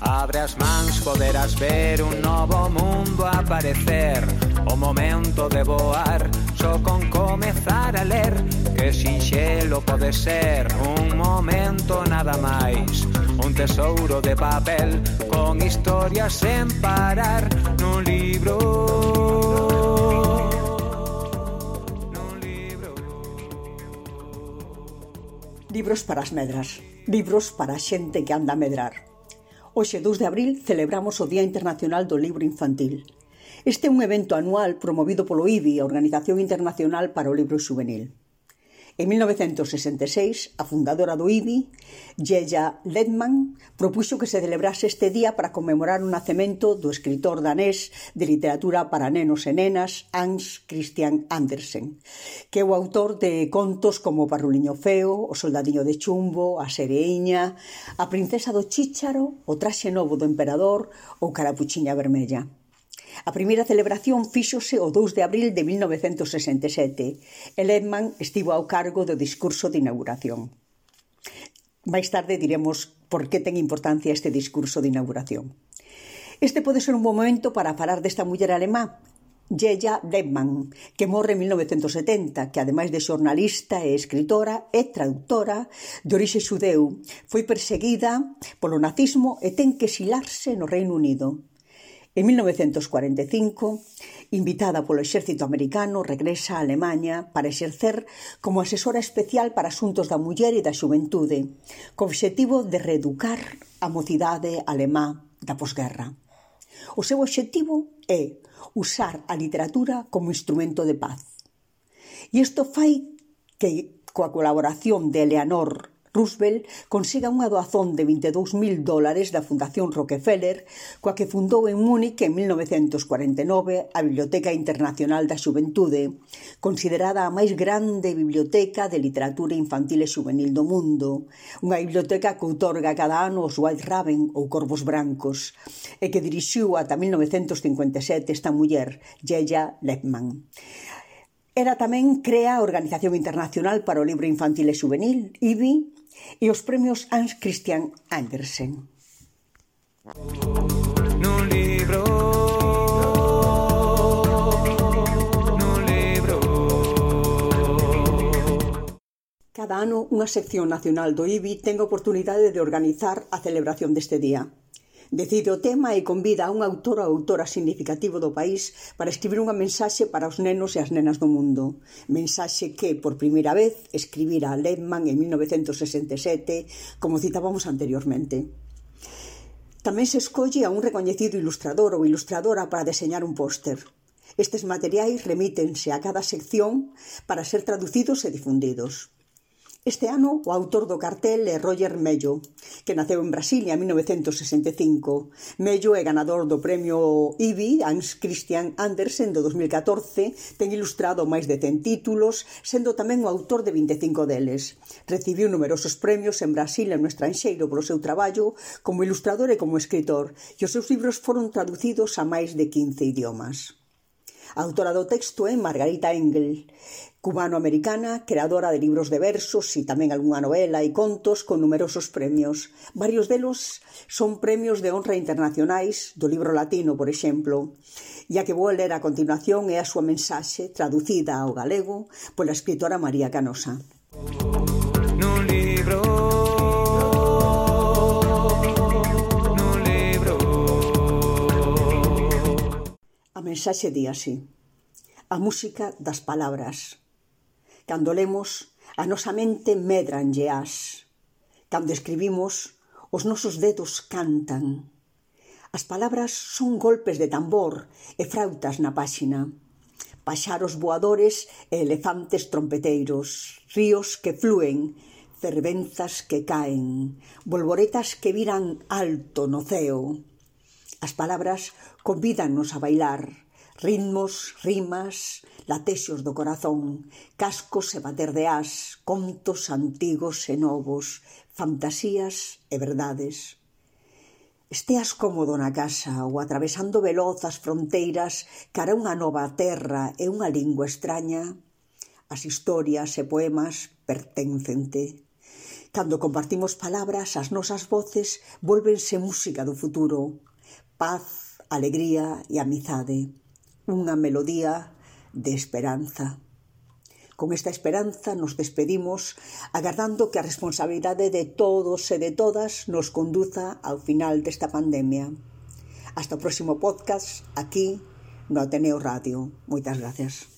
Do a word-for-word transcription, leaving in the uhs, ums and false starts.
Abre as mans, poderás ver un novo mundo aparecer. O momento de voar, só con comezar a ler. Que sinxelo pode ser, un momento nada máis. Un tesouro de papel, con historias sen parar. Nun libro, nun libro. Libros para as medras, libros para a xente que anda a medrar. Hoxe, dous de abril, celebramos o Día Internacional do Libro Infantil. Este é un evento anual promovido polo I B I, a Organización Internacional para o Libro Xuvenil. En mil novecentos sesenta e seis, a fundadora do I B I, Gella Ledman, propuxo que se celebrase este día para conmemorar o nacemento do escritor danés de literatura para nenos e nenas Hans Christian Andersen, que é o autor de contos como O Parruliño Feo, O Soldadiño de Chumbo, A Sereiña, A Princesa do Chícharo, O Traxe Novo do Emperador ou Carapuchiña Vermella. A primeira celebración fíxose o dous de abril de mil novecentos sesenta e sete e Ledman estivo ao cargo do discurso de inauguración. Mais tarde diremos por que ten importancia este discurso de inauguración. Este pode ser un bom momento para falar desta muller alemá, Gella Ledman, que morre en mil novecentos setenta, que ademais de xornalista e escritora, é traductora de orixe xudeu, foi perseguida polo nazismo e ten que exilarse no Reino Unido. En mil novecentos cuarenta e cinco, invitada polo exército americano, regresa a Alemanha para exercer como asesora especial para asuntos da muller e da xuventude, co obxectivo de reeducar a mocidade alemá da posguerra. O seu obxectivo é usar a literatura como instrumento de paz. E isto fai que, coa colaboración de Eleanor Roosevelt, consiga unha doazón de vinte e dous mil dólares da Fundación Rockefeller, coa que fundou en Múnich en mil novecentos cuarenta e nove a Biblioteca Internacional da Xuventude, considerada a máis grande biblioteca de literatura infantil e xuvenil do mundo, unha biblioteca que outorga cada ano os White Raven ou Corvos Brancos, e que dirixiu ata mil novecentos cincuenta e sete esta muller, Gella Ledman. Ela tamén crea a Organización Internacional para o Libro Infantil e Xuvenil, I B I, e os premios Hans Christian Andersen. Nun libro, nun libro. Cada ano, unha sección nacional do I B I ten a oportunidade de organizar a celebración deste día. Decide o tema e convida a un autor ou autora significativo do país para escribir unha mensaxe para os nenos e as nenas do mundo. Mensaxe que, por primeira vez, escribira Ledman en mil novecentos sesenta e sete, como citábamos anteriormente. Tamén se escolle a un recoñecido ilustrador ou ilustradora para deseñar un póster. Estes materiais remítense a cada sección para ser traducidos e difundidos. Este ano, o autor do cartel é Roger Mello, que naceu en Brasilia en mil novecentos sesenta e cinco. Mello é ganador do premio I B I Hans Christian Andersen do dos mil catorce, ten ilustrado máis de cen títulos, sendo tamén o autor de vinte e cinco deles. Recibiu numerosos premios en Brasil e no estranxeiro polo seu traballo como ilustrador e como escritor, e os seus libros foron traducidos a máis de quince idiomas. A autora do texto é Margarita Engel, cubano-americana, creadora de libros de versos e tamén algunha novela e contos con numerosos premios. Varios delos son premios de honra internacionais, do libro latino, por exemplo. E a que vou ler a continuación é a súa mensaxe, traducida ao galego pola escritora María Canosa. Nun libro, nun libro. A mensaxe di así: a música das palabras. Cando lemos, a nosa mente medranlle as. Cando escribimos, os nosos dedos cantan. As palabras son golpes de tambor e frautas na páxina. Paxaros voadores e elefantes trompeteiros, ríos que flúen, fervenzas que caen, bolboretas que viran alto no ceo. As palabras convídannos a bailar, ritmos, rimas, latexos do corazón, cascos e bater de as, contos antigos e novos, fantasías e verdades. Esteas cómodo na casa ou atravesando veloz as fronteiras cara a unha nova terra e unha lingua extraña, as historias e poemas perténcente. Cando compartimos palabras, as nosas voces volvense música do futuro. Paz, alegría e amizade. Unha melodía de esperanza. Con esta esperanza nos despedimos, agardando que a responsabilidade de todos e de todas nos conduza ao final desta pandemia. Hasta o próximo podcast, aquí no Ateneo Radio. Moitas gracias.